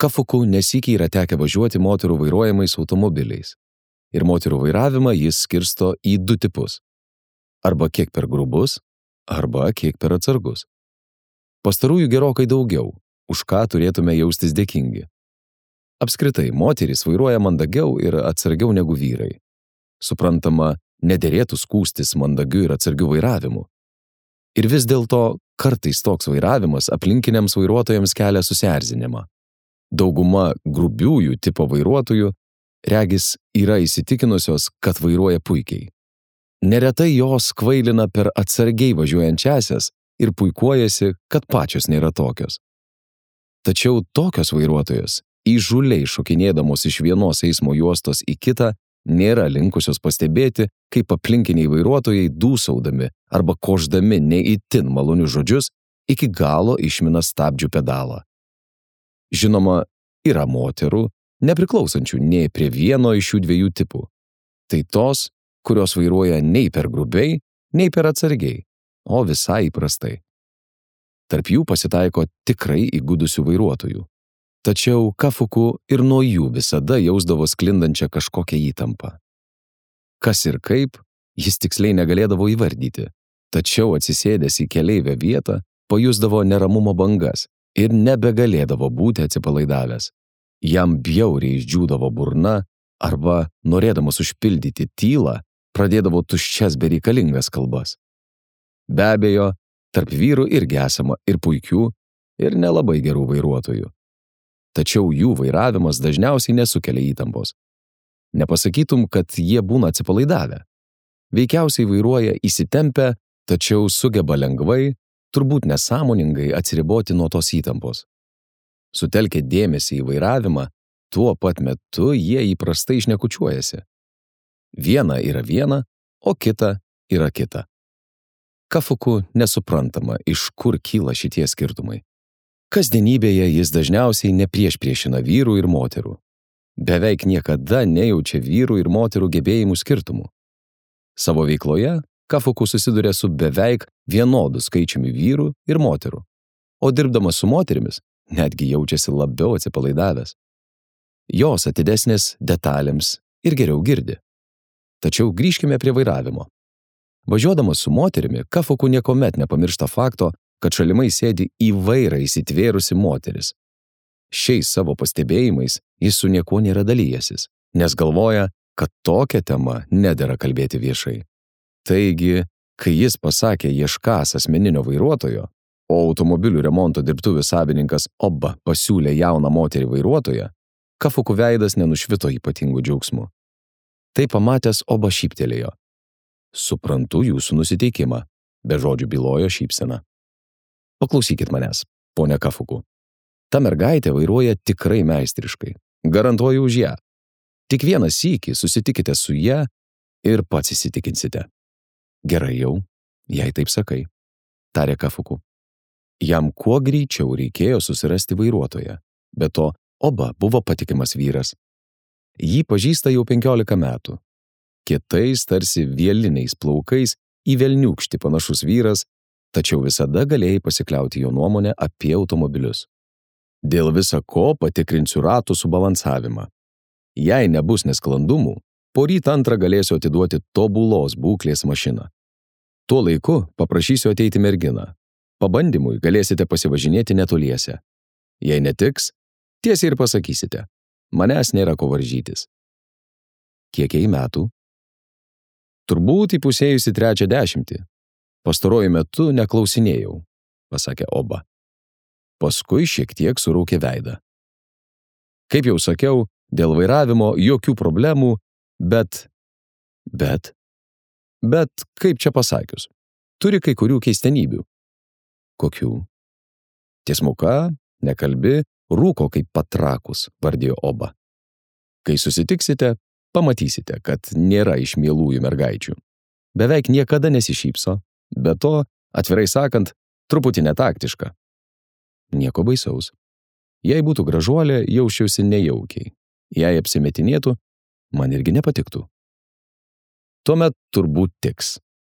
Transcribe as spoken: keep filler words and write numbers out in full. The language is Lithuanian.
Kafuku nesykį yra tekę važiuoti moterų vairuojamais automobiliais. Ir moterų vairavimą jis skirsto į du tipus. Arba kiek per grubus, arba kiek per atsargus. Pastarųjų gerokai daugiau, už ką turėtume jaustis dėkingi. Apskritai, moterys vairuoja mandagiau ir atsargiau negu vyrai. Suprantama, nederėtų skųstis mandagiu ir atsargiu vairavimu. Ir vis dėlto kartais toks vairavimas aplinkiniams vairuotojams kelia susierzinimą. Dauguma grubiųjų tipo vairuotojų, regis, yra įsitikinusios, kad vairuoja puikiai. Neretai jos kvailina per atsargiai važiuojančiasias ir puikuojasi, kad pačios nėra tokios. Tačiau tokios vairuotojos, įžūliai šokinėdamos iš vienos eismo juostos į kitą, nėra linkusios pastebėti, kaip aplinkiniai vairuotojai dūsaudami arba koždami neįtin malonius žodžius iki galo išmina stabdžių pedalą. Žinoma, yra moterų, nepriklausančių nei prie vieno iš šių dviejų tipų. Tai tos, kurios vairuoja nei per grubiai, nei per atsargiai, o visai įprastai. Tarp jų pasitaiko tikrai įgudusių vairuotojų. Tačiau Kafuku ir nuo jų visada jausdavo sklindančią kažkokią įtampą. Kas ir kaip, jis tiksliai negalėdavo įvardyti, tačiau atsisėdęs į keleivio vietą, pajusdavo neramumo bangas ir nebegalėdavo būti atsipalaidavęs. Jam bjauriai išdžiūdavo burna arba, norėdamas užpildyti tylą, pradėdavo tuščias bereikalingas kalbas. Be abejo, tarp vyrų irgi esama ir puikių, ir nelabai gerų vairuotojų. Tačiau jų vairavimas dažniausiai nesukelia įtampos. Nepasakytum, kad jie būna atsipalaidavę. Veikiausiai vairuoja įsitempę, tačiau sugeba lengvai, turbūt nesąmoningai atsiriboti nuo tos įtampos. Sutelkę dėmesį į vairavimą, tuo pat metu jie įprastai šnekučiuojasi. Viena yra viena, o kita yra kita. Kafuku nesuprantama, iš kur kyla šitie skirtumai. Kasdienybėje jis dažniausiai nepriešpriešina vyrų ir moterų. Beveik niekada nejaučia vyrų ir moterų gebėjimų skirtumų. Savo veikloje Kafuku susiduria su beveik vienodu skaičiumi vyrų ir moterų, o dirbdamas su moterimis netgi jaučiasi labiau atsipalaidavęs. Jos atidesnės detalėms ir geriau girdi. Tačiau grįžkime prie vairavimo. Važiuodamas su moterimi, Kafuku niekuomet nepamiršta fakto, kad šalimai sėdi į vairą įsitvėrusi moteris. Šiais savo pastebėjimais jis su niekuo nėra dalyjasis, nes galvoja, kad tokia tema nedera kalbėti viešai. Taigi, kai jis pasakė ieškas asmeninio vairuotojo, o automobilių remonto dirbtuvių savininkas Oba pasiūlė jauną moterį vairuotoją, Kafuku veidas nenušvito ypatingų džiaugsmų. Tai pamatęs Oba šyptelėjo. Suprantu jūsų nusiteikimą, be žodžių bylojo šypsena. Paklausykit manęs, ponia Kafuku. Ta mergaitė vairuoja tikrai meistriškai. Garantuoju už ją. Tik vieną sykį susitikite su ją ir pats įsitikinsite. Gerai jau, jei taip sakai, tarė Kafuku. Jam kuo greičiau reikėjo susirasti vairuotoją. Be to, Oba buvo patikimas vyras. Jį pažįsta jau penkiolika metų. Kietais, tarsi vieliniais plaukais, į velniūkštį panašus vyras, tačiau visada galėjai pasikliauti jo nuomonę apie automobilius. Dėl visa ko patikrinsiu ratų subalansavimą. Jei nebus nesklandumų, poryt antrą galėsiu atiduoti tobulos būklės mašiną. Tuo laiku paprašysiu ateiti merginą. Pabandymui galėsite pasivažinėti netoliese. Jei netiks, tiesiai ir pasakysite. Manęs nėra ko varžytis. Kiek jai metų? Turbūt įpusėjusi trečią dešimtį. Pastaruoju metu neklausinėjau, pasakė Oba. Paskui šiek tiek suraukė veidą. Kaip jau sakiau, dėl vairavimo jokių problemų, bet... Bet... Bet, kaip čia pasakius, turi kai kurių keistenybių. Kokių? Tiesmuka, nekalbi, rūko kaip patrakus, vardijo Oba. Kai susitiksite, pamatysite, kad nėra iš mielųjų mergaičių. Beveik niekada nesišypso, be to, atvirai sakant, truputį netaktiška. Nieko baisaus. Jei būtų gražuolė, jausčiausi nejaukiai. Jei apsimetinėtų, man irgi nepatiktų. Tuomet turbūt tiks.